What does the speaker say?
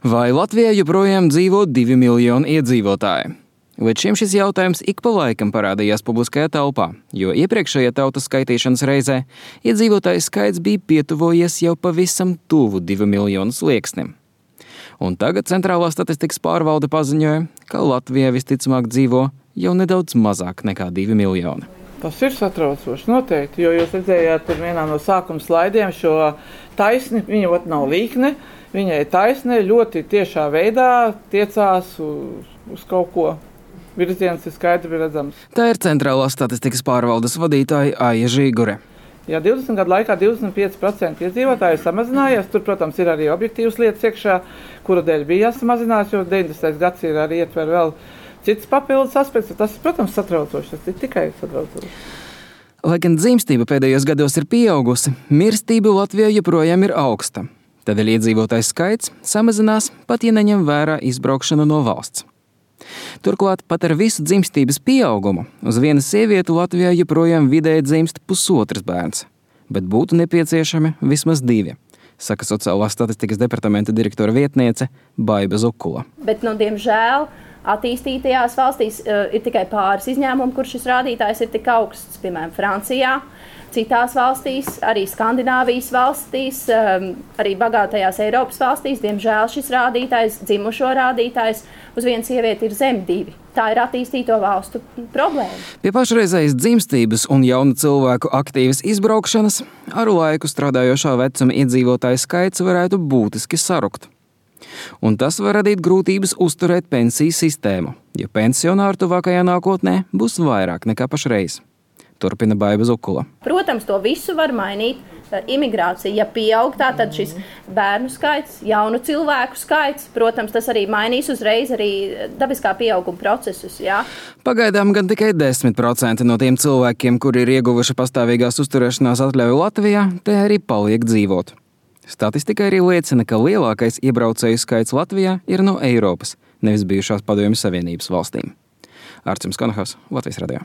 Vai Latvijā joprojām dzīvo 2 miljoni iedzīvotāji? Līdz šim šis jautājums ik pa laikam parādījās publiskajā telpā, jo iepriekšējā tautas skaitīšanas reizē iedzīvotāju skaits bija pietuvojies jau pavisam tuvu 2 miljonu slieksnim. Un tagad Centrālā statistikas pārvalde paziņoja, ka Latvijā visticamāk dzīvo jau nedaudz mazāk nekā 2 miljoni. Tas ir satraucoši noteikti, jo jūs redzējāt tur vienā no sākuma slaidiem šo taisni, viņa ot nav līkne, viņai taisne ļoti tiešā veidā tiecās uz kaut ko. Virziens ir skaidri redzams. Tā ir Centrālā statistikas pārvaldes vadītāja Aija Žīgure. Ja 20 gadu laikā 25% iedzīvotāji samazinājies, tur, protams, ir arī objektīvas lietas iekšā, kura dēļ bija jāsamazinās, jo 90. gads ir arī ietver vēl cits papildus aspekts. Tas, protams, satraucoši, tas ir tikai satraucoši. Lai gan dzimstība pēdējos gados ir pieaugusi, mirstība Latvijā joprojām ir augsta. Tādēļ iedzīvotāju skaits samazinās, pat ja neņem vērā izbraukšanu no valsts. Turklāt pat ar visu dzimstības pieaugumu uz vienu sievieti Latvijā joprojām vidēji dzimst 1,5 bērns, bet būtu nepieciešami vismaz 2, saka Sociālās statistikas departamenta direktora vietniece Baiba Zukula. Bet, diemžēl, attīstītajās valstīs ir tikai pāris izņēmumi, kur šis rādītājs ir tik augsts, piemēram, Francijā. Citās valstīs, arī Skandināvijas valstīs, arī bagātajās Eiropas valstīs, diemžēl šis rādītājs, dzimušo rādītājs uz vienu sievieti ir zem 2. Tā ir attīstīto valstu problēma. Pie pašreizējas dzimstības un jaunu cilvēku aktīvas izbraukšanas ar laiku strādājošā vecuma iedzīvotāju skaits varētu būtiski sarukt. Un tas var radīt grūtības uzturēt pensiju sistēmu, jo pensionāru tuvākajā nākotnē būs vairāk nekā pašreiz. Turpina Baiba Zukula. Protams, to visu var mainīt imigrācija. Ja pieaug, tad šis bērnu skaits, jaunu cilvēku skaits, protams, tas arī mainīs uzreiz arī dabiskā pieauguma procesus. Jā. Pagaidām gan tikai 10% no tiem cilvēkiem, kuri ir ieguvuši pastāvīgās uzturēšanās atļauju Latvijā, te arī paliek dzīvot. Statistika arī liecina, ka lielākais iebraucēju skaits Latvijā ir no Eiropas, nevis bijušās Padomju Savienības valstīm. Arcims Konahaus, Latvijas radio.